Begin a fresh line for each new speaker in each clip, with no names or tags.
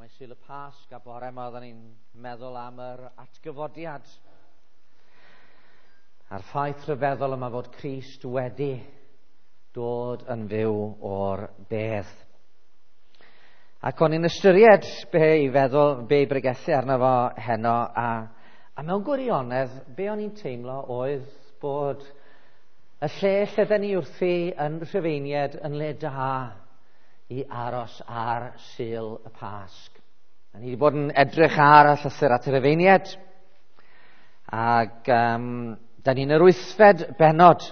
Mae Sul y Pasg a bore yma oedden ni'n meddwl am yr atgyfodiad. A'r ffaith rhyfeddol yma fod Crist wedi dod yn fyw o'r bedd. Ac o'n i'n ystyried be i feddwl, be i bregethu arno fo heno, a mewn gwirionedd, be o'n i'n teimlo oedd bod y lle lle 'den ni wrthi yn Rhufeiniaid yn le da i aros ar Sul y Pasg. A ni wedi bod yn edrych ar y llythyr at y Rhufeiniaid, ac da ni'n yr 8fed bennod.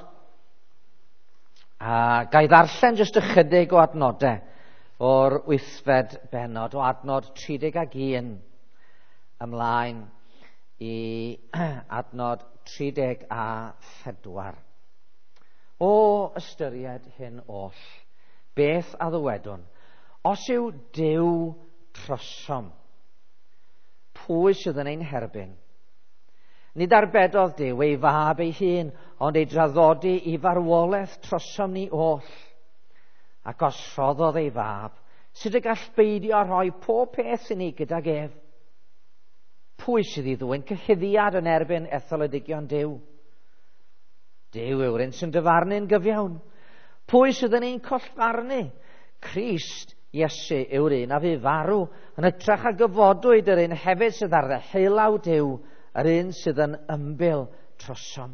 A ga i ddarllen jyst ychydig o adnodau o'r 8fed bennod, o adnod 31 ymlaen i adnod 34. O ystyried hyn oll, beth a ddywedwn? Os yw Duw trosom, pwy sydd yn ein herbyn? Nid arbedodd Duw ei fab ei hun, ond ei draddodi i farwolaeth trosom ni oll. Ac os rhoddodd ei fab, sut y gall beidio â rhoi pob peth i ni gydag ef? Pwy sydd i ddwyn cyhuddiad yn erbyn etholedigion Duw? Duw yw'r un sy'n dyfarnu'n gyfiawn. Pwy sydd yn ein collfarnu? Crist Iesu yw'r un a fu farw, yn hytrach a gyfodwyd, yr un hefyd sydd ar ddeheulaw Duw, yr un sydd yn ymbil trosom.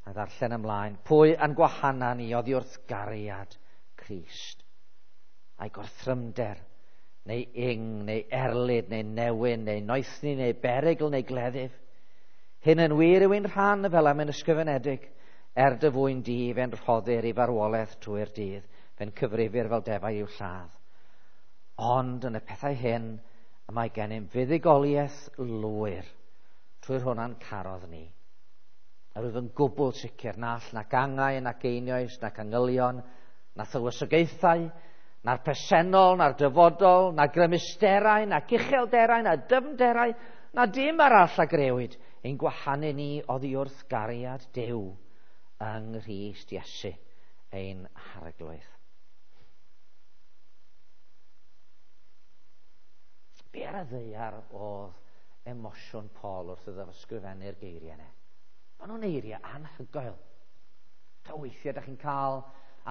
A ddarllen ymlaen, pwy yn gwahana ni oddi wrth gariad Crist? Ai gorthrymder, neu ing, neu erlid, neu newyn, neu noethni, neu berygl, neu gleddyf? Hyn yn wir yw ein rhan fel am yn ysgrifenedig, er dy fwyn di, fe'n rhoddir i farwolaeth trwy'r dydd, fe'n cyfrifir fel defau i'w lladd. Ond yn y pethau hyn, y mae gennym fuddugoliaeth lwyr, trwy'r hwnna'n carodd ni. A rwyf yn gwbl sicr na all nac angau, nac einioes, nac angylion, na thywysogaethau, na'r presennol, na'r dyfodol, na grymusterau, nac uchelderau, na dyfnderau, na dim arall a grëwyd, ein gwahanu ni oddi wrth gariad Duw yng Nghrist Iesu, ein Harglwydd. Be ar y ddaear oedd emosiwn Paul wrth iddo ysgrifennu'r geiriau yna? Maen nhw'n eiriau anhygoel. Ta weithiau ydych chi'n cael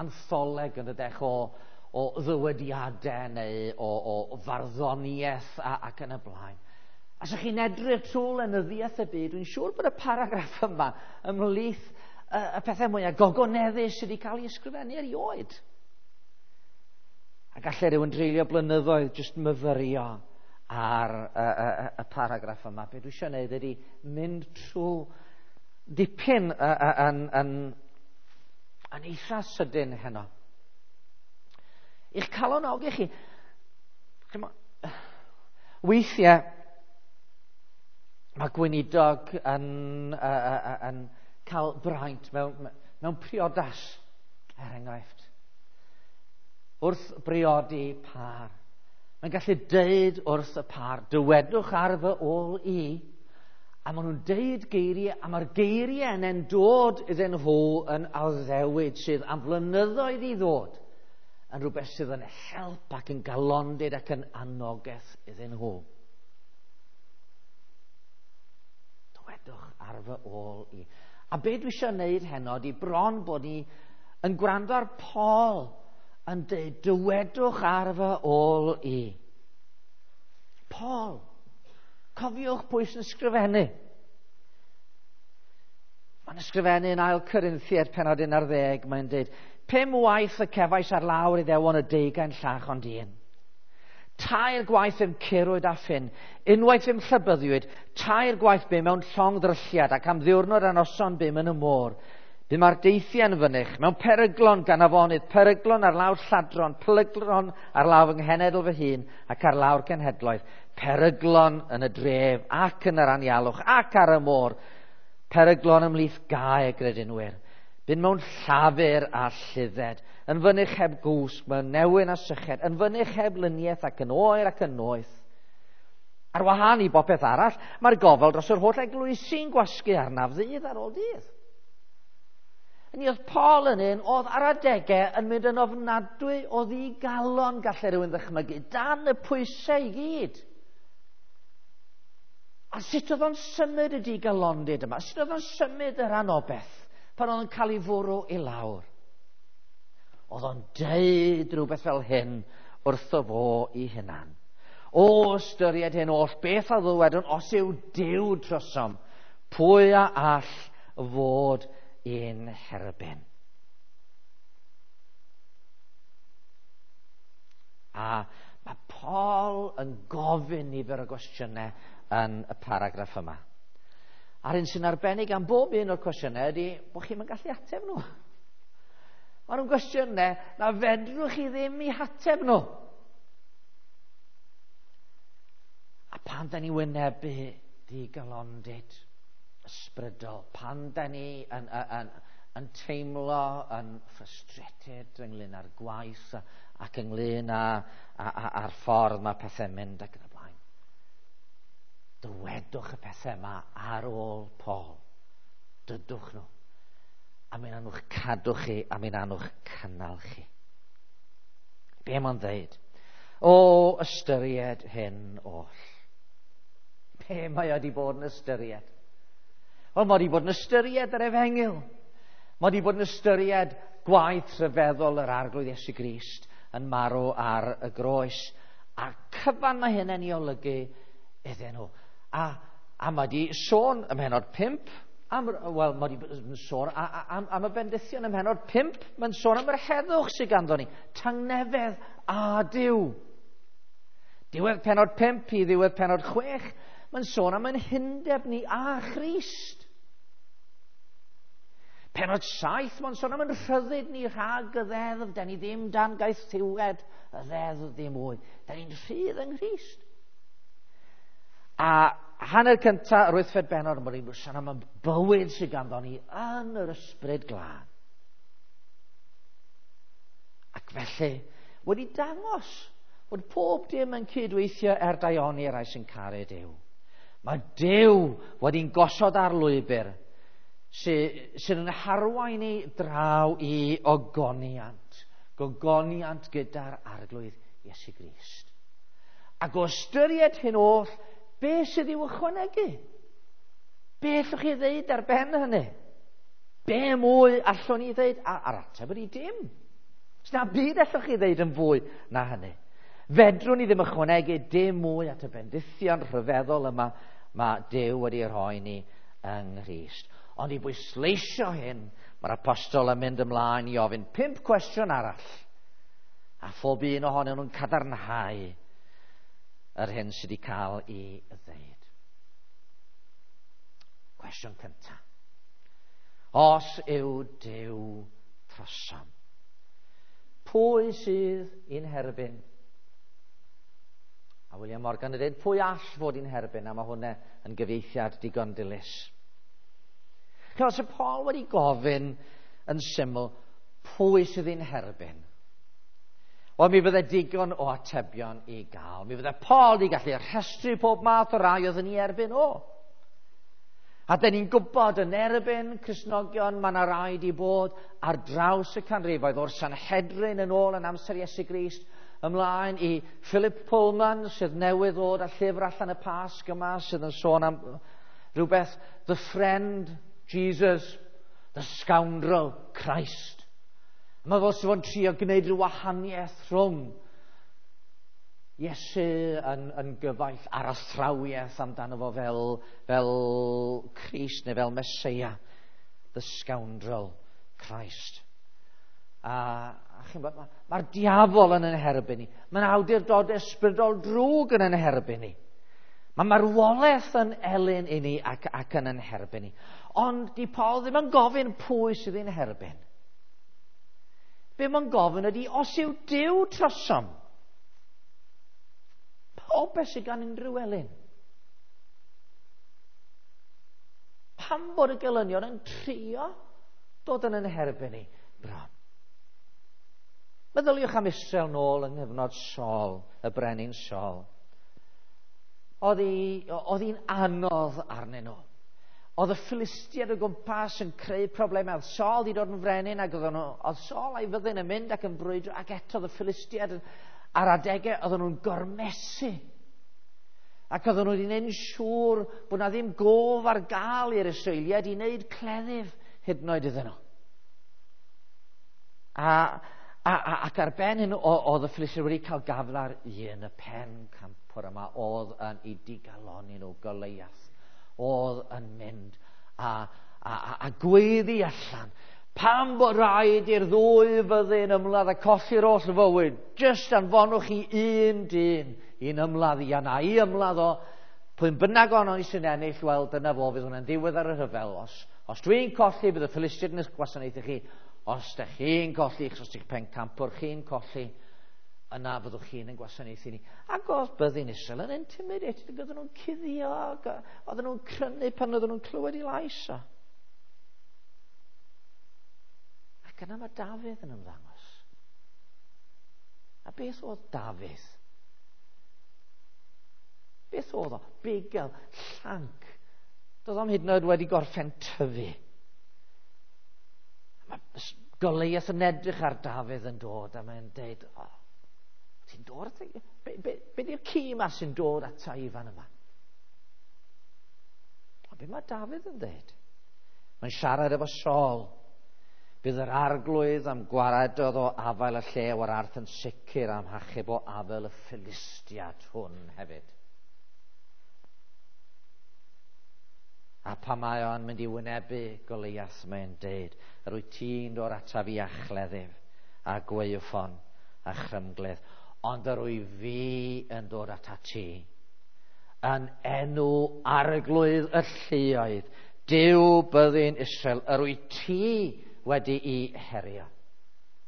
antholeg yn dydech o ddywediadau neu o farddoniaeth ac yn y blaen. A os chi'n edrych trwy lenyddiaeth y byd, dwi'n siŵr bod y paragraff yma ymhlith y pethau mwyaf gogoneddus sydd wedi cael ei ysgrifennu erioed. A gallai rhywun dreulio blynyddoedd jyst myfyrio ar y paragraff yma. Be dwi eisiau gwneud ydy mynd trwy dipyn yn eitha sydyn heno. I'ch calonogi chi, weithiau mae gweinidog yn cael braint mewn priodas, er enghraifft. Wrth briodi pâr, mae'n gallu deud wrth y pâr, dywedwch ar fy ôl i, a maen nhw'n deud geiriau, a mae'r geiriau yna'n dod iddyn nhw yn addewid sydd am flynyddoedd i ddod, yn rhywbeth sydd yn help ac yn galondid ac yn anogaeth iddyn nhw. Dywedwch ar fy ôl i. A be dwi eisiau gwneud heno ydy bron bod ni yn gwrando ar Paul yn dweud, dywedwch ar fy ôl i. Paul, cofiwch pwy sy'n ysgrifennu. Mae'n ysgrifennu yn 2 Corinthiaid pennod 11, mae'n dweud, 5 waith y cefais ar lawr Iddewon y 20 llach ond un. 3 gwaith fe'm curwyd â ffyn, unwaith fe'm llybyddiwyd, 3 gwaith bum mewn llong ddrylliad ac am ddiwrnod a noson bum yn y môr. Bum ar deithiau yn fynych, mewn peryglon gan afonydd, peryglon ar lawr lladron, peryglon ar lawr fy nghenedl fy hun ac ar lawr cenhedloedd, peryglon yn y dref ac yn yr anialwch ac ar y môr, peryglon ymhlith gau y gredinwyr. Bum mewn llafur a lludded, yn fynych heb gwsg, mewn newyn a syched, yn fynych heb luniaeth ac yn oer ac yn noeth. Ar wahân i bopeth arall, mae'r gofal dros yr holl eglwysi'n gwasgu arnaf ddydd ar ôl dydd. Hynny oedd Paul yn un oedd ar adegau yn mynd yn ofnadwy o ddigalon, gallai rhywun ddychmygu, dan y pwysau i gyd. A sut oedd o'n symud y digalondid yma? Sut oedd o'n symud yr anobeth pan oedd o'n cael ei fwrw i lawr? Oedd o'n deud rhywbeth fel hyn wrtho fo i hunan. O ystyried hyn oll, beth a ddywedwn os yw Duw trosom, pwy a all fod i'n herbyn? A mae Paul yn gofyn nifer o gwestiynau yn y paragraff yma. A'r un sy'n arbennig am bob un o'r cwestiynau ydy bod chi'n gallu ateb nhw. Maen nhw'n gwestiynau na fedrwch chi ddim i hateb nhw. A pan da ni wynebu digalondid ysbrydol, pan da ni yn, yn, yn, yn teimlo yn frustrated ynglyn â'r gwaith ac ynglyn â, â, â, â'r ffordd mae pethau'n mynd ac yn y blaen. Dywedwch y pethau yma ar ôl Paul. Dydwch nhw. A mi'n anwch cadw chi, a mi'n anwch cynnal chi. Be mae'n dweud? O ystyried hyn oll. Be mae wedi bod yn ystyried? Wel, mae wedi bod yn ystyried yr efengyl. Mae wedi bod yn ystyried gwaith rhyfeddol yr Arglwydd Iesu Grist yn marw ar y groes. A cyfan mae hynny'n ei olygu iddyn nhw. A, a mae wedi sôn ym mhenod 5, am, wel, mae wedi sôn am, am y bendithion ym mhenod 5, mae'n sôn am yr heddwch sydd ganddo ni, tangnefedd a Duw. Diwedd penod 5 i ddiwedd penod 6, mae'n sôn am ein hundeb ni a Christ. Penod 7, mae'n sôn am yn rhyddid ni rhag y ddeddf. Da ni ddim dan gaethiwed y ddeddf ddim mwy. Da ni'n rhydd yng Nghrist. A hanner cyntaf yr wythfed benod, mae'n sôn am y bywyd sydd ganddo ni yn yr ysbryd glân. Ac felly, wedi dangos bod pob dim yn cydweithio er daioni rai sy'n caru Duw. Mae Duw wedi'n gosod ar lwybr sydd yn harwain ni draw i ogoniant. Gogoniant gyda'r Arglwydd Iesu Grist. Ac o ystyried hyn oll, be sydd i'w ychwanegu? Be allwch chi ddeud ar ben hynny? Be mwy allwn ni ddeud? A'r ateb ydy dim. Sna byd allwch chi ddeud yn fwy na hynny. Fedrwn ni ddim ychwanegu dim mwy at y bendithion rhyfeddol yma mae Duw wedi rhoi ni yng Nghrist. Ond i bwysleisio hyn, mae'r apostol yn mynd ymlaen i ofyn 5 cwestiwn arall. A phob un ohonyn nhw'n cadarnhau yr hyn sydd wedi cael ei ddeud. Cwestiwn cyntaf. Os yw Duw trosom, pwy sydd i'n herbyn? A William Morgan yn dweud, pwy all fod i'n herbyn? A mae hwnna yn gyfieithiad digon dilys. Chos y Paul wedi gofyn yn syml, pwy sydd i'n herbyn? Wel, mi fydde digon o atebion i gael. Mi fydde Paul wedi gallu rhestru pob math o rai oedd yn ei erbyn o. A dyn ni'n gwybod yn erbyn Cristnogion, mae yna rai wedi bod ar draws y canrifoedd o'r Sanhedrin yn ôl yn amser Iesu Grist, ymlaen i Philip Pullman, sydd newydd ddod â llyfr allan y Pasg yma, sydd yn sôn am rhywbeth, The Friend Jesus, The Scoundrel Christ. Mae fel sydd fo'n trio gwneud rhyw wahaniaeth rhwng Iesu yn, yn gyfaill a'r athrawiaeth amdano fo fel, fel Christ neu fel Meseia, The Scoundrel Christ. A, a chi'n bod, mae'r ma diafol yn yn herbyn ni. Mae'n awdurdod ysbrydol drwg yn yn herbyn ni. Mae marwolaeth yn elyn i ni ac, ac yn yn herbyn ni. Ond di Paul ddim yn gofyn pwy sydd yn herbyn. Be mae'n gofyn ydy, os yw Duw trosom, pob beth sydd gan unrhyw elyn. Pam bod y gelynion yn trio dod yn yn herbyn ni bron? Meddyliwch am Israel nôl yng nghyfnod Saul, y brenin Saul. Oedd hi'n anodd arnyn nhw. Oedd y Philistiaid o gwmpas yn creu problemau. Oedd Saul wedi dod yn frenin ac oedd, nhw, oedd Saul a'i fyddin yn mynd ac yn brwydro ac eto oedd y Philistiaid ar adegau oedden nhw'n gormesu. Ac oedden nhw wedi gwneud yn siŵr bod na ddim gof ar gael i'r Israeliaid i wneud cleddyf hyd yn oed iddyn nhw. A, a, a, ac ar ben hyn, oedd y Philistiaid wedi cael gafel ar un, y pen campwr yma, oedd yn ei digaloni nhw, Goliath, oedd yn mynd a, a, a, a gweiddi allan. Pam bod rhaid i'r ddwy fyddin ymladd a colli'r holl fywyd? Jyst anfonwch chi un dyn i'n ymladd i a na i ymladd o. Pwy'n bynnag ono i sy'n ennill, wel, dyna fo, fydd hwnna'n ddiwedd ar y rhyfel. Os, os dwi'n colli, bydd y Philistiaid yn eich gwasanaethu chi. Os ydych chi'n colli, os ydych pencampwr chi'n colli, yna fyddwch chi'n yn gwasanaethu ni. Ac oedd byddin Israel yn intimidated, ac oedden nhw'n cuddio, ac oedden nhw'n crynu pan oedden nhw'n clywed i lais o. Ac yna mae Dafydd yn ymddangos. A beth oedd Dafydd? Beth oedd o? Bugel, llanc. Doedd o'm hyd yn oed wedi gorffen tyfu. Mae Goliath yn edrych ar Dafydd yn dod a mae'n deud, oh, ti'n dod at be, be, be di'r ci yma sy'n dod ata i fan yma? A be mae Dafydd yn deud? Mae'n siarad efo Saul. Bydd yr arglwydd am gwaredodd o afael y llew a'r arth yn sicr am hachub o afael y Philistiad hwn hefyd. A pan mae o'n mynd i wynebu Goliath, mae'n deud, yr wyt ti'n dod ataf i a chleddyf, a gwaywffon, a chrymgledd, ond yr wyf fi yn dod atat ti. Yn enw arglwydd y lluoedd, Duw byddin Israel, yr wyt ti wedi'i herio.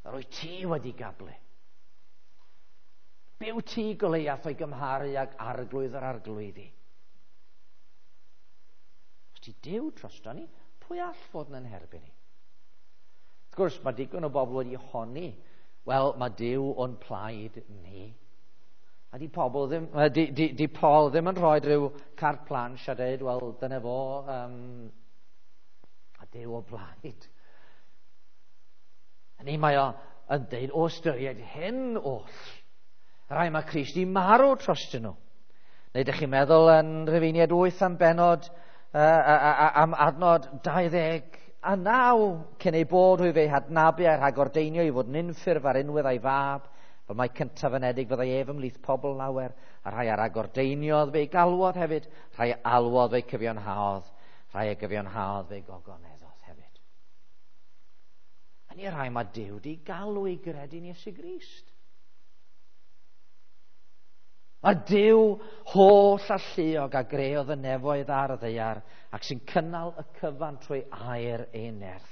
Yr wyt ti wedi gablu. Be wyt ti, Goliath, o'i gymharu ag arglwydd yr arglwyddi? Os ti Duw drosto ni, pwy all fod yn herbyn ni? Wrth gwrs, mae digon o bobl wedi honni, wel, mae Duw o'n plaid ni. A di pobl ddim, di, di, di Paul ddim yn rhoi rhyw carte blanche a dweud, wel, dyna fo, a Duw o blaid. A ni mae o yn deud, o ystyried hyn oll, rhai mae Crist i marw trostyn nhw. Neu ydych chi'n meddwl yn Rhufeiniaid 8 am benod, am adnod 29, cyn ei bod hwy fe'i hadnabu a'i rhagordeinio i fod yn unffurf ar unwedd a'i fab, fel mai cyntaf anedig fyddai ef ymhlith pobl lawer, a rhai a ragordeiniodd fe'i galwodd hefyd, rhai a alwodd fe'i cyfiawnhaodd, rhai a gyfiawnhaodd fe'i gogoneddodd hefyd. A ni rhai mae Duw di galw i gredu'n Iesu Grist. Mae Duw holl alluog a greodd y nefoedd ar y ddaear ac sy'n cynnal y cyfan trwy air ei nerth.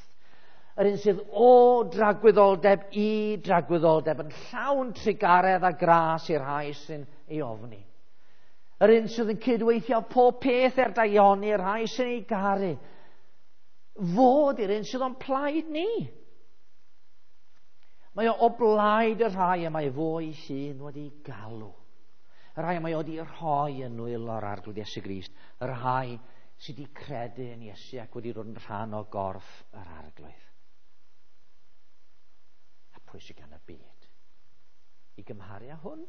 Yr un sydd o dragwyddoldeb i dragwyddoldeb yn llawn trugaredd a gras i'r rhai sy'n ei ofni. Yr un sydd yn cydweithio pob peth er daioni i'r rhai sy'n ei garu. Fod i'r un sydd o'n plaid ni. Mae o o blaid y rhai y mae fo ei hun wedi galw. Y rhai y mae o wedi rhoi yn nwylo'r Arglwydd Iesu Grist. Y rhai sydd wedi credu yn Iesu ac wedi dod yn rhan o gorff yr Arglwydd. A pwy sydd gan y byd i gymharu â hwn?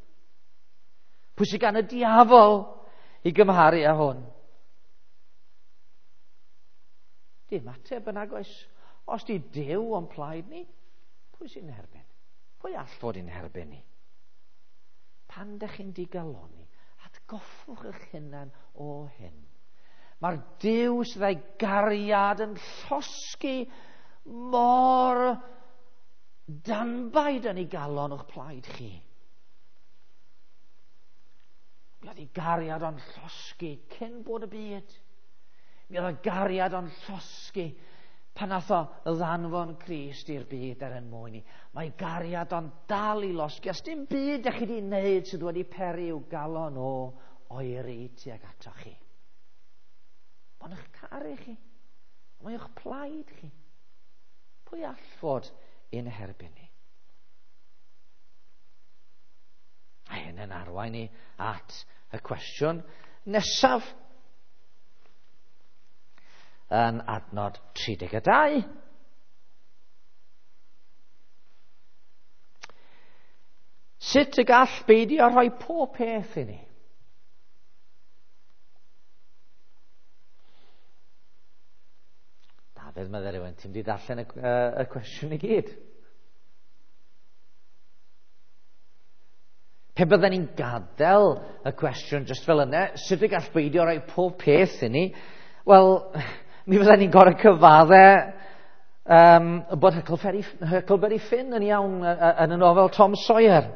Pwy sydd gan y diafol i gymharu â hwn? Dim ateb yn agos. Os di Duw o'n plaid ni, pwy sy'n herbyn? Pwy all fod yn herbyn ni? Pan dych chi'n digaloni, atgoffwch eich hunan o hyn. Mae'r Duw sydd â'i gariad yn llosgi mor danbaid yn ei galon o'ch plaid chi. Mi oedd ei gariad o'n llosgi cyn bod y byd. Mi oedd ei gariad o'n llosgi pan nath o ddanfon Crist i'r byd er yn mwyn ni. Mae gariad o'n dal i losgi. Os dim byd ydych chi wedi wneud sydd wedi peri i'w galon o oeri tuag ato chi. Mae'n eich caru chi. Mae eich plaid chi. Pwy all fod ein herbyn ni? A hyn yn arwain ni at y cwestiwn nesaf. yn adnod 32. Sut y gall beidio rhoi pob peth i ni? Dafydd, meddai rhywun, ti'n mynd i ddarllen y cwestiwn i gyd. Pe bydden ni'n gadael y cwestiwn jyst fel yna, sut y gall beidio rhoi pob peth i ni? Wel, mi fydden ni'n gorau cyfadde bod Huckleberry Finn yn iawn yn y nofel Tom Sawyer.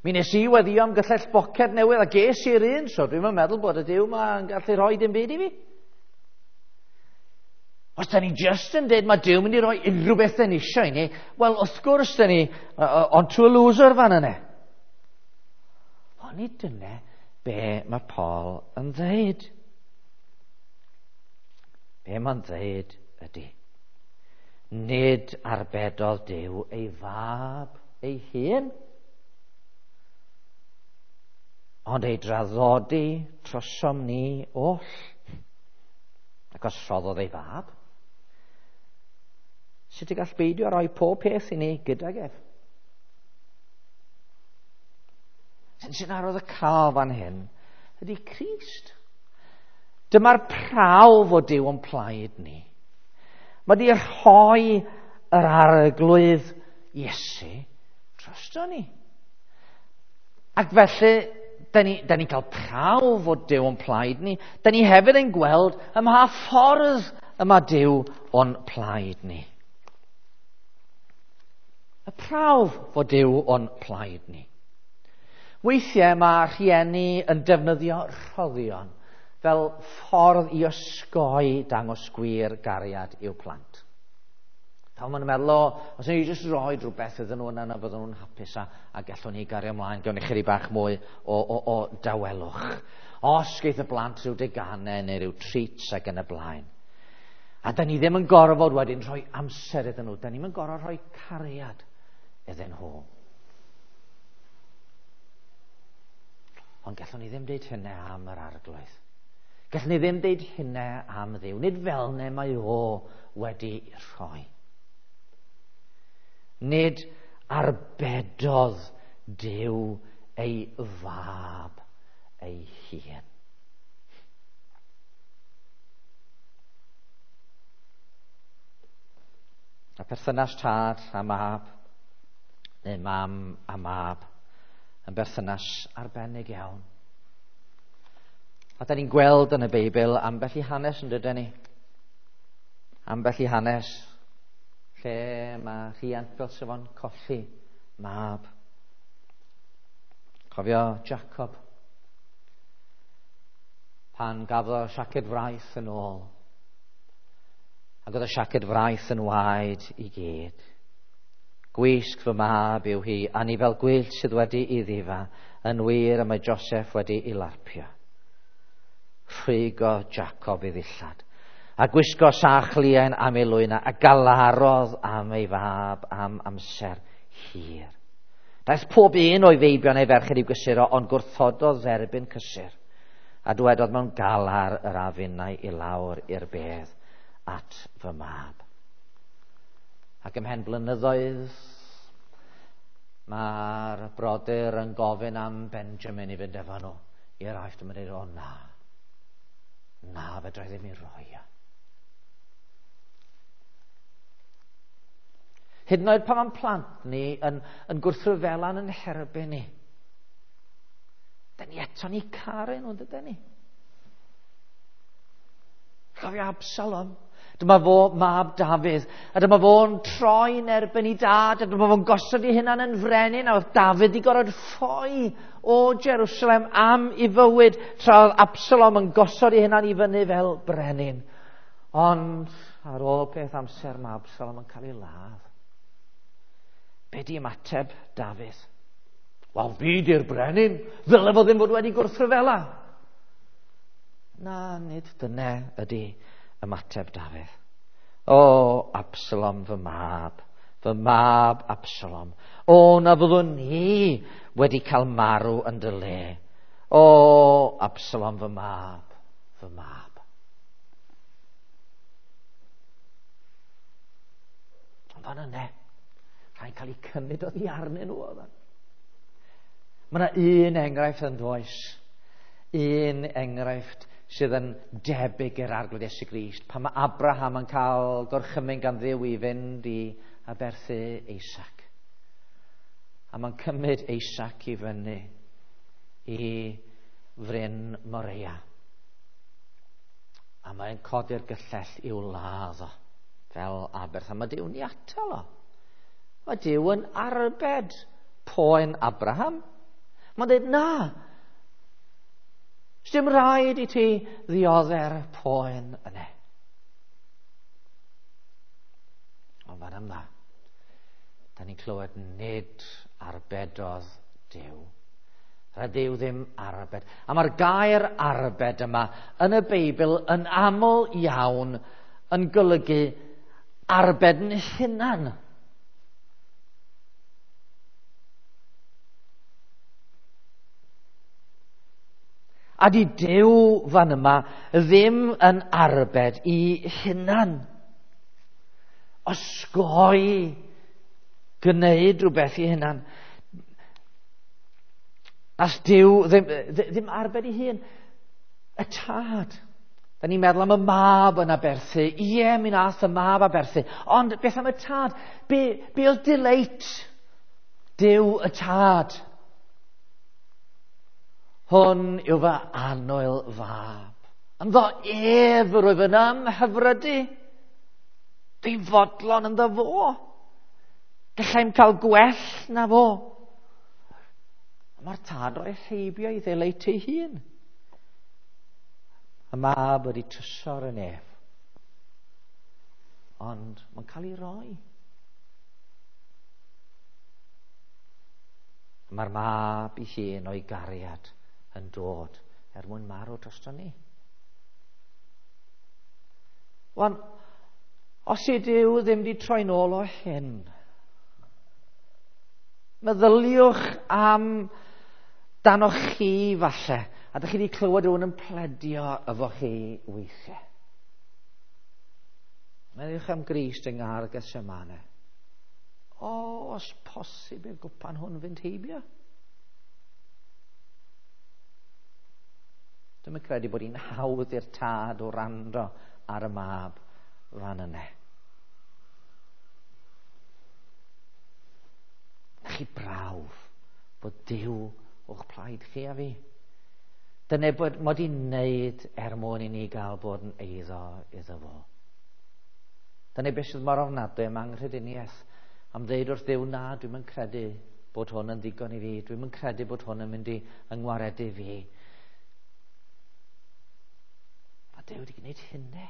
Mi nes i weddio am gyllell boced newydd a ges i'r un, so dwi'm yn meddwl bod y Duw 'ma yn gallu rhoi dim byd i fi. Os da ni just yn dweud mae Duw mynd i roi unrhyw beth da ni eisiau i ni, wel, wrth gwrs da ni on to a loser fan yna. Ond nid dyna be mae Paul yn dweud. Be mae'n dweud ydy, nid arbedodd Duw ei fab ei hun, ond ei draddodi trosom ni oll. Ac os rhoddodd ei fab, sut y gall beidio roi pob peth i ni gydag ef? Sy'n arwydd y cael fan hyn ydy Crist. Dyma'r prawf o Duw o'n plaid ni. Mae di rhoi yr arglwydd Iesu drosto ni. Ac felly, da ni'n cael prawf o Duw o'n plaid ni. Da ni hefyd yn gweld ym mha ffordd y mae Duw o'n plaid ni. Y prawf fod Duw o'n plaid ni. Weithiau mae rhieni yn defnyddio rhoddion fel ffordd i osgoi dangos gwir gariad i'w plant. Pan maen nhw'n meddwl, o, os ni jyst rhoi rhywbeth iddyn nhw yna, fydden nhw'n hapus a gallwn ni gario ymlaen, gawn ni chydig bach mwy o dawelwch. Os geith y blant rhyw deganau neu rhyw treats ac yn y blaen. A da ni ddim yn gorfod wedyn rhoi amser iddyn nhw, da ni'n yn gorfod rhoi cariad iddyn nhw. Ond gallwn ni ddim deud hynny am yr arglwydd. Gallwn ni ddim deud hynny am Dduw. Nid fel ne mae o wedi rhoi. Nid arbedodd Duw ei fab ei hun. A perthynas tad a mab, neu mam a mab, yn berthynas arbennig iawn. A da ni'n gweld yn y Beibl ambell i hanes yn dydyn ni. Ambell i hanes lle mae rhiant fel sef o'n colli mab. Cofio Jacob pan gafodd siaced fraith yn ôl. Ac oedd y siaced fraith yn waed i gyd. Gwisg fy mab yw hi, a ni fel gwyllt sydd wedi i ddifa, yn wir y mae Joseph wedi i larpio. Rhwygo Jacob i ddillad, a gwisgo sach liain am ei lwyna, a galarodd am ei fab am amser hir. Daeth pob un o'i feibion ei ferched i'w gysuro, ond gwrthododd dderbyn cysur, a dywedodd mewn galar yr afinau i lawr i'r bedd at fy mab. Ac ymhen blynyddoedd, mae'r brodyr yn gofyn am Benjamin i fynd efo nhw i'r Aifft. Mae'n dweud, o na, fedra i ddim i roi o. Hyd yn oed pan mae'n plant ni yn gwrthryfelan yn herbyn ni, da ni eto ni caru nhw, dydyn ni? Cofio Absalom. Dyma fo mab Dafydd, a dyma fo'n troi'n erbyn i dad, a dyma fo'n gosod ei hunan yn frenin, a oedd Dafydd i gorfod ffoi o Jerusalem am ei fywyd, tra oedd Absalom yn gosod ei hunan i fyny fel brenin. Ond ar ôl peth amser mae Absalom yn cael ei ladd. Be di ymateb Dafydd? Wel, fi di'r brenin, ddyle fo ddim fod wedi gwrthryfela. Na, nid dyna ydy ymateb Dafydd. O, Absalom, fy mab Absalom. O, na fyddwn ni wedi cael marw yn dy le. O, Absalom, fy mab, fy mab. Ond fan yna, rhaid cael eu cymryd oddi arnyn nhw oedd. Mae yna un enghraifft yn does. Un enghraifft sydd yn debyg i'r Arglwydd Iesu Grist. Pan mae Abraham yn cael gorchymyn gan Dduw i fynd i aberthu Isaac. A mae'n cymryd Isaac i fyny i fryn Moreia. A mae'n codi'r gyllell i'w ladd o fel aberth. A mae Duw'n ei atal o. Mae Duw yn arbed poen Abraham. Mae'n dweud, na, dim rhaid i ti ddiodde'r poen yna. Ond fan yma, da ni'n clywed nid arbedodd Duw. Rhaid Duw ddim arbed. A mae'r gair arbed yma yn y Beibl yn aml iawn yn golygu arbed yn hunan. A di Duw fan yma ddim yn arbed i hunan. Osgoi gwneud rhywbeth i hunan. As Duw ddim arbed i hun. Y tad. Da ni'n meddwl am y mab yn aberthu. Ie, mi nath y mab aberthu. Ond beth am y tad? Be oedd delight Duw y tad? Hwn yw fy annwyl fab. Ynddo ef yr wyf yn ymhyfrydu. Dwi'n fodlon ynddo fo. Gallai'm cael gwell na fo. Mae'r tad roi heibio i ddeleit ei hun. Y mab wedi trysor yn ef. Ond mae'n cael ei roi. Mae'r mab ei hun o'i gariad yn dod er mwyn marw drosto ni. Wan, os yw Duw ddim wedi troi nôl o hyn, meddyliwch am danoch chi falle, a dych chi wedi clywed rhywun yn pledio efo chi weithiau. Meddyliwch am Grist yng Nghar Gethsemane. O, os posib i'r gwpan hwn fynd heibio. Dwi'm yn credu bod hi'n hawdd i'r tad o wrando ar y mab fan yna. Na chi brawf bod Duw o'ch plaid chi a fi. Dyna bod mod i'n neud er mwyn i ni gael bod yn eiddo iddo fo. Dyna beth sydd mor ofnadwy am anghrediniaeth. Am ddeud wrth Dduw, na, dwi'm yn credu bod hwn yn ddigon i fi. Dwi'm yn credu bod hwn yn mynd i yngwaredu fi. Mae Duw wedi gwneud hynny.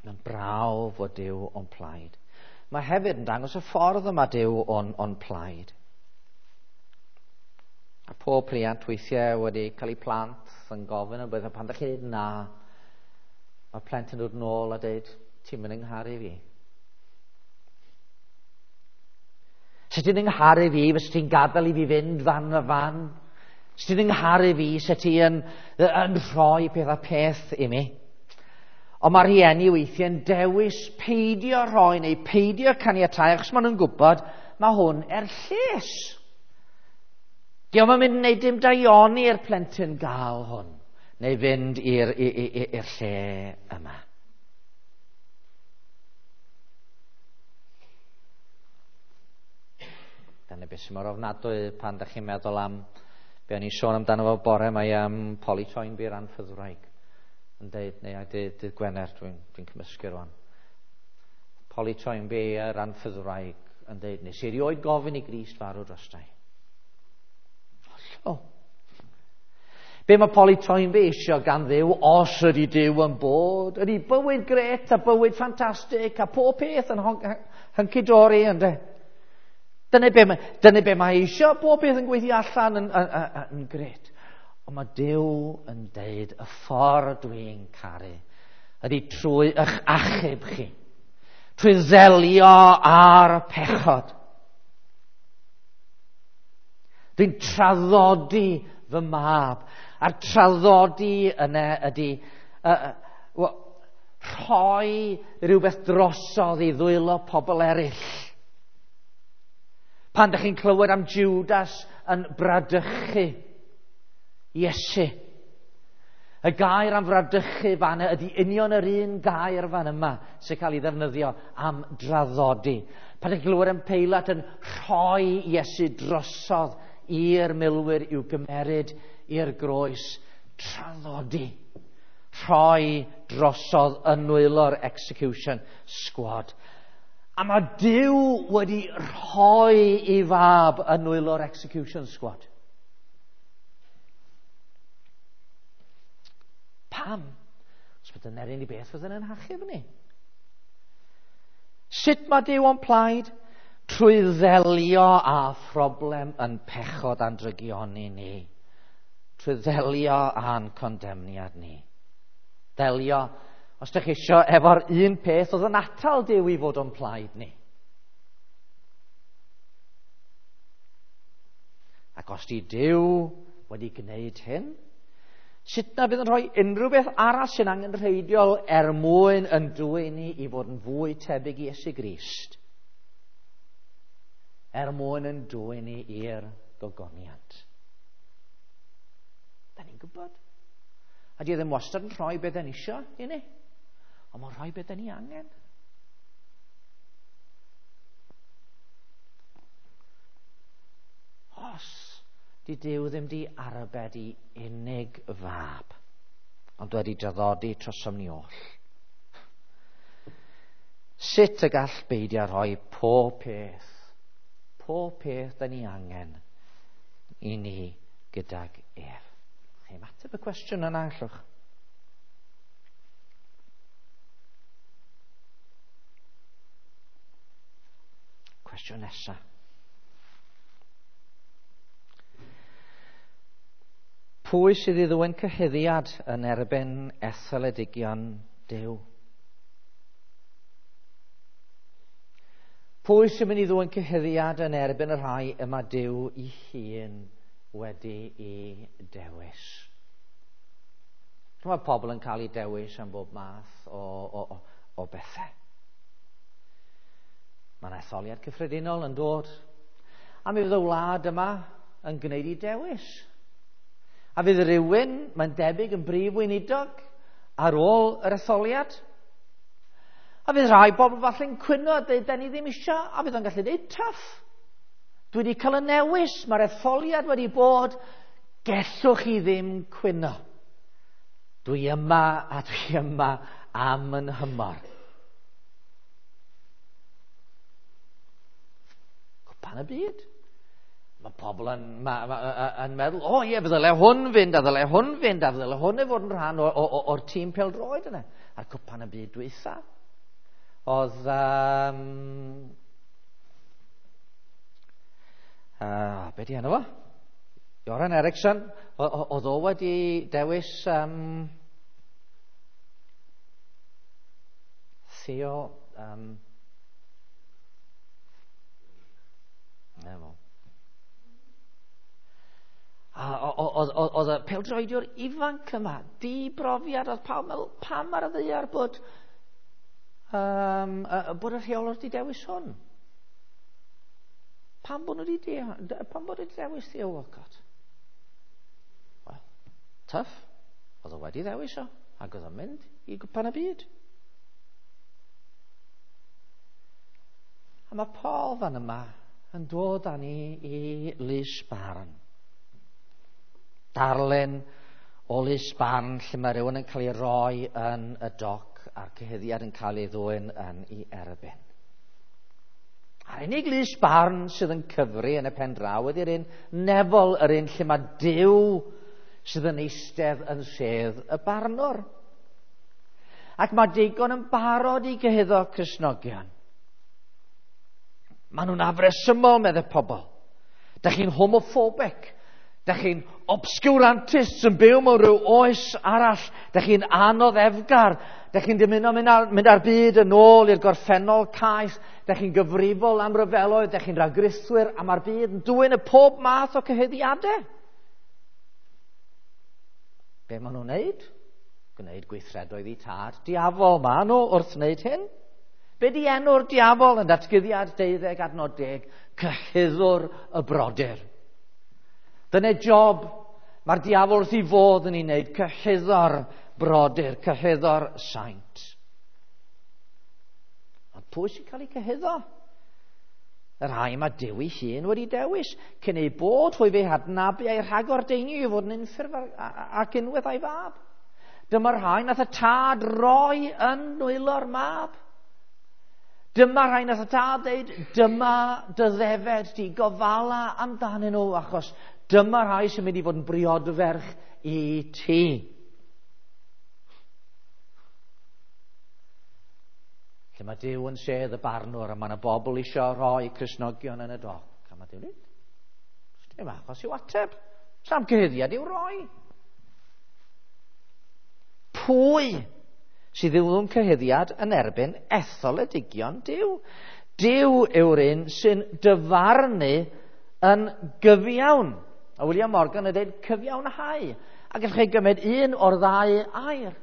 Mae'n brawf fod Duw o'n plaid. Mae hefyd yn dangos y ffordd yma Duw o'n plaid. A pob rhiant weithiau wedi cael eu plant yn gofyn yn beth, pan ddech chi'n dweud na, mae plentyn yn dod nôl a dweud, ti'n mynd yngharu fi. Sut ti'n yngharu fi, fysa ti'n gadael i fi fynd fan a fan? Sut ti'n yngharu fi, sut ti yn rhoi peth a peth i mi? Ond mae rhieni weithiau'n dewis peidio rhoi neu peidio caniatáu, achos maen nhw'n gwybod mae hwn er lles. Dio'm yn mynd i wneud dim daioni i'r plentyn gael hwn, neu fynd i'r lle yma. Dyna beth sy'n mor ofnadwy pan ydych chi'n meddwl am be o'n i'n sôn amdano fo bore, mae am Polly Toynbee yr anffyddwraig yn deud, neu dydd Gwener, dwi'n cymysgu rwan. Polly Toynbee yr anffyddwraig yn deud, nes i erioed gofyn i Grist farw drostai. Hollol. Be mae Polly Toynbee eisiau gan Dduw, os ydy Duw yn bod, ydy bywyd gret a bywyd ffantastig a pob peth yn hunky-dory, ynde? Dyna be mae eisiau, pob peth yn gweithio allan yn gret. Ond mae Duw yn deud, y ffordd dwi'n caru ydy trwy eich achub chi, trwy ddelio ar y pechod. Dwi'n traddodi fy mab, a'r traddodi yna ydy, Rhoi rhywbeth drosodd i ddwylo pobl eraill. Pan ydych chi'n clywed am Judas yn bradychu Iesu, y gair am fradychu fan ydy union yr un gair fan yma sy'n cael ei ddefnyddio am draddodi. Pan ydych chi'n clywed am Peilat yn rhoi Iesu drosodd i'r milwyr i'w gymeryd i'r groes, traddodi. Rhoi drosodd yn nwylo'r execution squad. A mae Duw wedi rhoi ei fab yn nwylo'r execution squad. Pam? Os bydd yn erin i beth fydd yn hachub ni. Sut mae Duw o'n plaid? Trwy ddelio â phroblem yn pechod a'n drygioni ni. Trwy ddelio â'n condemniad ni. Delio, os ydych chi eisiau, efo'r un peth oedd yn atal Duw i fod o'n plaid ni. Ac os di Duw wedi gwneud hyn, sut na fydd yn rhoi unrhyw beth arall sy'n angenrheidiol er mwyn yn dwyn ni i fod yn fwy tebyg i Iesu Grist? Er mwyn yn dwyn ni i'r gogoniant. Da ni'n gwybod. A di ddim wastad yn rhoi beth ni isio i ni. Ond mae'n rhoi beth ni angen. Os di Duw ddim di arbed i unig fab, ond wedi draddodi trosom ni oll. Sut y gall beidio rhoi pob peth da ni angen i ni gydag ef? Chi'n ateb y cwestiwn yna, allwch? Cwestiwn nesaf. Pwy sydd i ddwyn cyhuddiad yn erbyn etholedigion Duw? Pwy sy'n mynd i ddwyn cyhuddiad yn erbyn y rhai y mae Duw ei hun wedi ei dewis? Mae pobl yn cael eu dewis am bob math o bethau. Mae'n etholiad cyffredinol yn dod. A mi fydd y wlad yma yn gwneud ei dewis. A fydd rhywun, mae'n debyg, yn brif weinidog ar ôl yr etholiad. A fydd rhai bobl falle'n cwyno a dweud, da ni ddim isio, a fydd o'n gallu dweud, tough. Dwi wedi cael y newis, mae'r etholiad wedi bod, gellwch chi ddim cwyno. Dwi yma a dwi yma am yn hymor. Cwpan y byd. Mae pobl yn meddwl, o ie, ddyle hwn fynd, a ddyle hwn fynd, a ddyle hwn i fod yn rhan o'r tîm pêl-droed yna. A'r cwpan y byd dwytha. Oedd... be di enw fo? Göran Eriksson, oedd o wedi dewis Theo... Oedd y pêl-droediwr ifanc yma, di brofiad, oedd pawb meddwl, pam ar y ddaear bod y rheolwr di dewis hwn? Pam bod nhw wedi dewis Theo Walcott? Wel, tough. Oedd o wedi ddewis o, ac oedd o'n mynd i gwpan y byd. A mae Paul fan yma yn dod â ni i lys barn. Darlun o lys barn lle mae rhywun yn cael ei roi yn y doc a'r cyhuddiad yn cael ei ddwyn yn ei erbyn. A'r unig lys barn sydd yn cyfri yn y pen draw ydy'r un nefol, yr un lle mae Duw sydd yn eistedd yn sedd y barnwr. Ac mae digon yn barod i gyhuddo Cristnogion. Maen nhw'n afresymol, meddai pobl. Da chi'n homophobic. Da chi'n obscurantists yn byw mewn rhyw oes arall. Da chi'n anoddefgar. Da chi'n dymuno mynd ar byd yn ôl i'r gorffennol caeth. Da chi'n gyfrifol am ryfeloedd. Da chi'n rhagrithwyr a mae'r byd yn dwyn y pob math o cyhuddiadau. Be maen nhw'n wneud? Gwneud gweithredoedd i tad diafol ma nhw wrth wneud hyn. Be di enw'r diafol yn datguddiad 12 adnod 10? Cyhuddwr y brodyr. Dyna job mae'r diafol wrth ei fodd yn ei wneud, cyhuddo'r brodyr, cyhuddo'r saint. Ond pwy sy'n cael ei cyhuddo? Y rhai mae Duw ei hun wedi dewis, cyn ei bod hwy fe hadnabu a'i rhagordeinio i fod yn unffurf ac unwaith a'i fab. Dyma'r rhai nath y tad roi yn nwylo'r mab. Dyma rhai nath y tad dweud, dyma dy ddefed di, gofala amdanyn nhw, achos dyma rhai sy'n mynd i fod yn briodferch i ti. Lle mae Duw yn sedd y barnwr a mae yna bobl eisiau rhoi Cristnogion yn y doc. A mae Duw'n dweud, dim achos i'w ateb. Sam cyhuddiad i'w roi. Pwy sydd yw'n cyhuddiad yn erbyn etholedigion Duw? Duw yw'r un sy'n dyfarnu yn gyfiawn. A William Morgan yn dweud cyfiawnhau. A gallwch chi gymryd un o'r ddau air.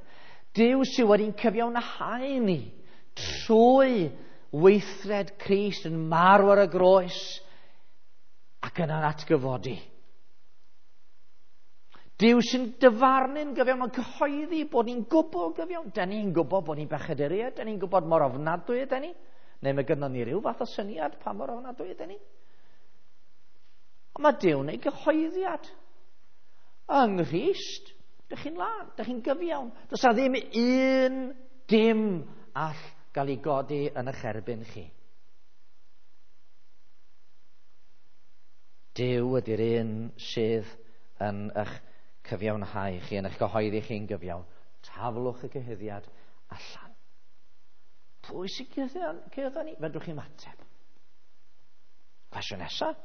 Duw sydd wedi'n cyfiawnhau ni trwy weithred Crist yn marw ar y groes ac yna'n atgyfodi. Duw sy'n dyfarnu'n gyfiawn, mae'n cyhoeddi bod ni'n gwbl gyfiawn. Da ni'n gwybod bod ni'n bechaduriaid, da ni'n gwybod mor ofnadwy ydyn ni. Neu mae gynnon ni ryw fath o syniad pa mor ofnadwy ydyn ni. Ond mae Duw'n ei gyhoeddiad. Yng Nghrist, dych chi'n lân, dych chi'n gyfiawn. Does na ddim un dim all gael ei godi yn eich erbyn chi. Duw ydy'r un sydd yn eich cyfiawnhau chi, yn eich cyhoeddi chi'n gyfiawn. Taflwch y cyhuddiad allan. Pwy sy'n cyhuddo ni? Fedrwch chi'n ateb. Cwestiwn nesaf.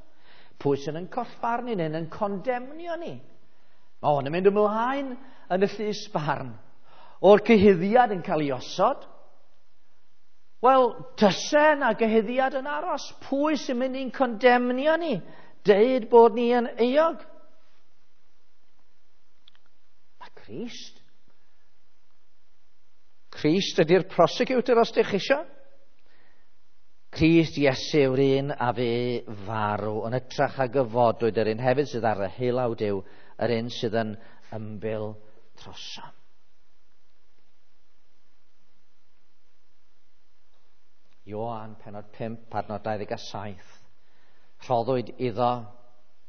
Pwy sy'n yn collfarnu ni, yn condemnio ni? Mae hwn yn mynd ymlaen yn y llys barn. O'r cyhuddiad yn cael ei osod. Wel, tyse na gyhuddiad yn aros. Pwy sy'n mynd i'n condemnio ni? Deud bod ni yn euog. Mae Crist. Crist ydy'r prosecutor os ydych chi isio. Crist Iesu yw'r un a fe farw yn ytrach a gyfodwyd, yr un hefyd sydd ar y heilaw Duw, yr un sydd yn ymbil trosom. Ioan, penod 5, adnod 27. Rhoddwyd iddo,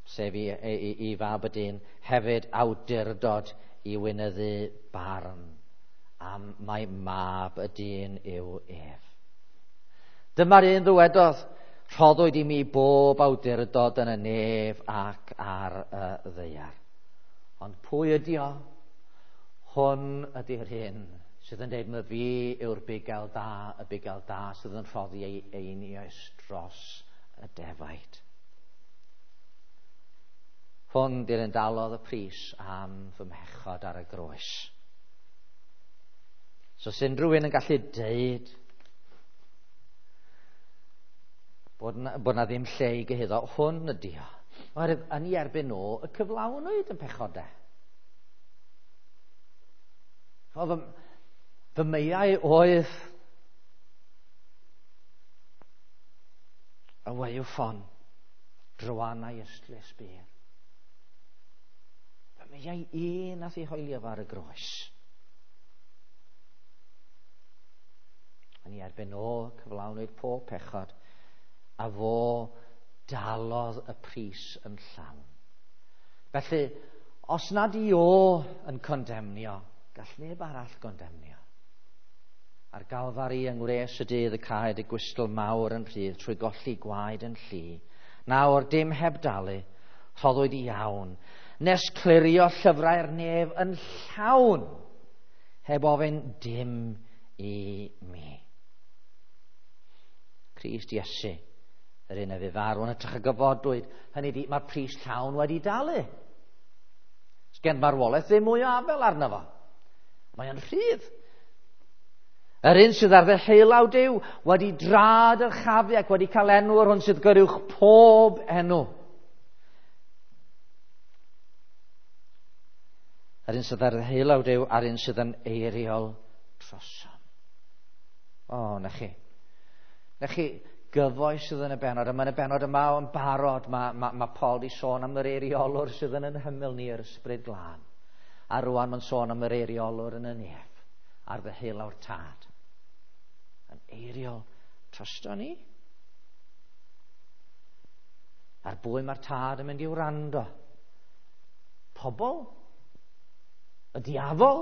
sef i, i, i fab y dyn, hefyd awdurdod i weinyddu barn, am mai mab y dyn yw ef. Dyma'r un ddywedodd, rhoddwyd i mi bob awdurdod yn y nef ac ar y ddaear. Ond pwy ydi o? Hwn ydy'r hyn sydd yn dweud, mae fi yw'r bugail da, y bugail da sydd yn rhoddi ei einioes dros y defaid. Hwn di'r un dalodd y pris am fy mhechod ar y groes. So os unrhyw un yn gallu deud bod na, bod na ddim lle i gyhuddo, hwn ydi o. Oherwydd yn ei erbyn nhw y cyflawnwyd yn pechodau. Fy, fy meiau oedd y waywffon drwanau ystlys byr. Fy meiau un nath ei hoelio fo ar y groes. Yn ei erbyn o cyflawnwyd pob pechod, a fo dalodd y pris yn llawn. Felly, os nad i o yn condemnio, gall neb arall gondemnio. Ar Galfari yng ngwres y dydd y caed y gwystl mawr yn rhydd trwy golli gwaed yn llu. Nawr dim heb dalu, rhoddwyd i iawn, nes clirio llyfrau'r nef yn llawn, heb ofyn dim i mi. Crist Iesu, yr un a fu farw yn hytrach y gyfodwyd, hynny di, mae'r pris llawn wedi dalu. Sgen marwolaeth ddim mwy o afel arno fo. Mae o'n rhydd. Yr un sydd ar ddeheulaw Duw wedi drad yr chafu ac wedi cael enw yr hwn sydd goruwch pob enw. Yr un sydd ar ddeheulaw Duw a'r un sydd yn eiriol trosom. O, na chi. Na chi gyfoes sydd yn y bennod. A mae'n y bennod yma yn barod. Mae Paul di sôn am yr eiriolwr sydd yn ein hymyl ni, yr Ysbryd Glân. A rwan mae'n sôn am yr eiriolwr yn y nef, ar ddeheulaw'r Tad. Yn eiriol drosto ni. Ar bwy mae'r Tad yn mynd i wrando? Pobl? Y diafol?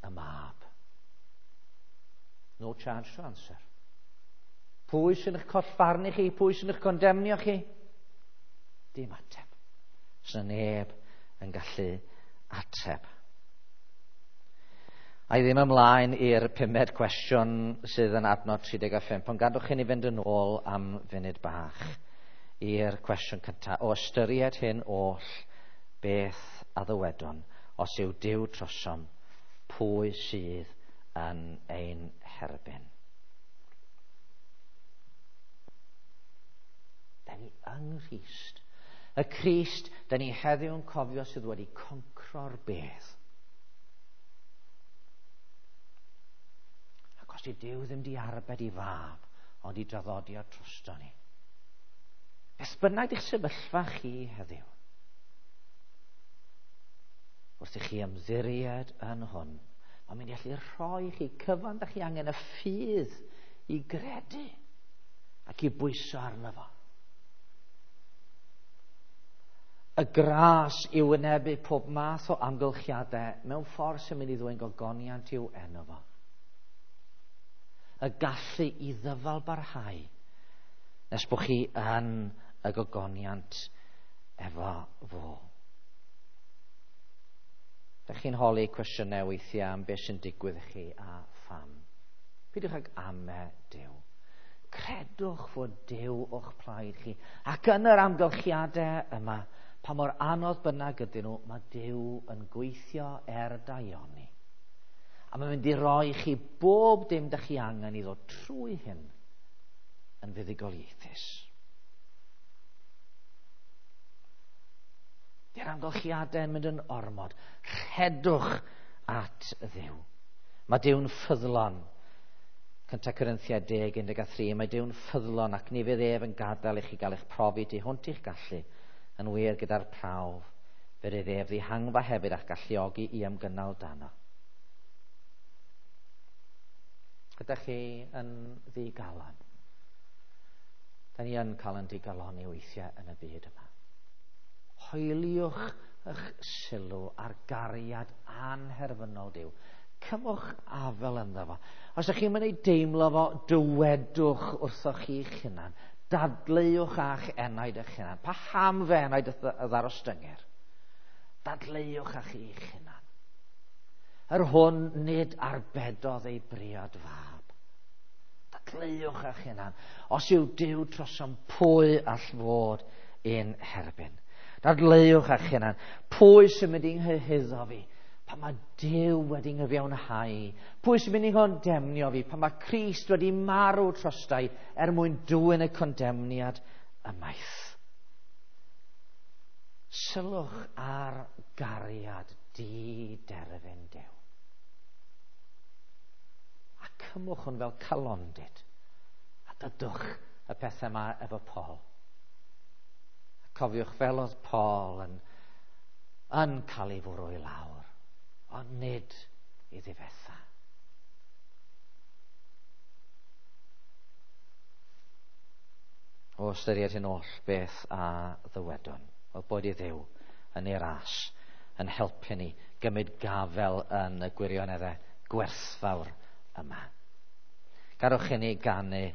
Y Mab. No charge to answer. Pwy sy'n eich collfarnu chi? Pwy sy'n eich condemnio chi? Dim ateb. Sy'n neb yn gallu ateb. A i ddim ymlaen i'r pumed cwestiwn sydd yn adnod 35, ond gadwch chi ni fynd yn ôl am funud bach i'r cwestiwn cyntaf. O ystyried hyn oll, beth a ddywedwn, os yw Duw trosom, pwy sydd yn ein herbyn? Da ni yng Nghrist. Y Crist, da ni heddiw yn cofio sydd wedi concro'r bedd. Ac os yw Duw ddim di arbed i fab, ond i draddodi o drosto ni. Beth bynnag eich sefyllfa chi heddiw, wrth i chi ymddiried yn hwn, mae'n mynd i allu rhoi chi cyfan da chi angen y ffydd i gredu ac i bwyso arno fo. Y gras i wynebu pob math o amgylchiadau mewn ffordd sy'n mynd i ddwyn gogoniant i'w enw fo. Y gallu i ddyfal barhau nes bod chi yn y gogoniant efo fo. Dych chi'n holi cwestiynau weithiau am beth sy'n digwydd i chi a pham. Peidiwch ag ame Duw. Credwch fod Duw o'ch plaid chi. Ac yn yr amgylchiadau yma, pa mor anodd bynnag ydyn nhw, mae Duw yn gweithio er daioni. A mae'n mynd i roi chi bob dim dych chi angen i ddod trwy hyn yn fuddugoliaethus. Di'r amgylchiadau yn mynd yn ormod. Rhedwch at Dduw. Mae Duw'n ffyddlon. 1 Corinthiaid 10:13. Mae Duw'n ffyddlon ac ni fydd ef yn gadael i chi gael eich profi tu hwnt i'ch gallu, yn wir gyda'r prawf. Fe rydd ef ddihangfa hefyd a'ch galluogi i ymgynnal dano. Ydych chi yn ddigalon? Da ni yn cael yn digaloni weithiau yn y byd yma. Hoeliwch eich sylw ar gariad anherfynol Duw. Cymwch afel ynddo fo. Os ydych chi'n mynd i deimlo fo, dywedwch wrthoch chi'ch hunan. Dadleuwch â'ch enaid eich hunan. Paham fe enaid y ddarostyngir? Dadleuwch â chi'ch hunan. Yr hwn nid arbedodd ei briod fab. Dadleuwch â'ch hunan. Os yw Duw trosom, pwy all fod ein herbyn? Dadleuwch â'ch hunan. Pwy sy'n mynd i'n nghyhuddo fi? Pan mae Duw wedi nghyfiawnhau? Pwy sy'n mynd i ngondemnio fi? Pan mae Crist wedi marw trostai er mwyn dwyn y condemniad ymaith? Sylwch ar gariad di-derfyn Duw. A cymwch hwn fel calondid. A dydwch y pethau yma efo Paul. A cofiwch fel oedd Paul yn cael ei fwrw i lawr, ond nid i ddifetha. O ystyried hyn oll, beth a ddywedwn? Wel, boed i Dduw yn ei ras yn helpu ni gymryd gafel yn y gwirioneddau gwerthfawr yma. Garwch i ni ganu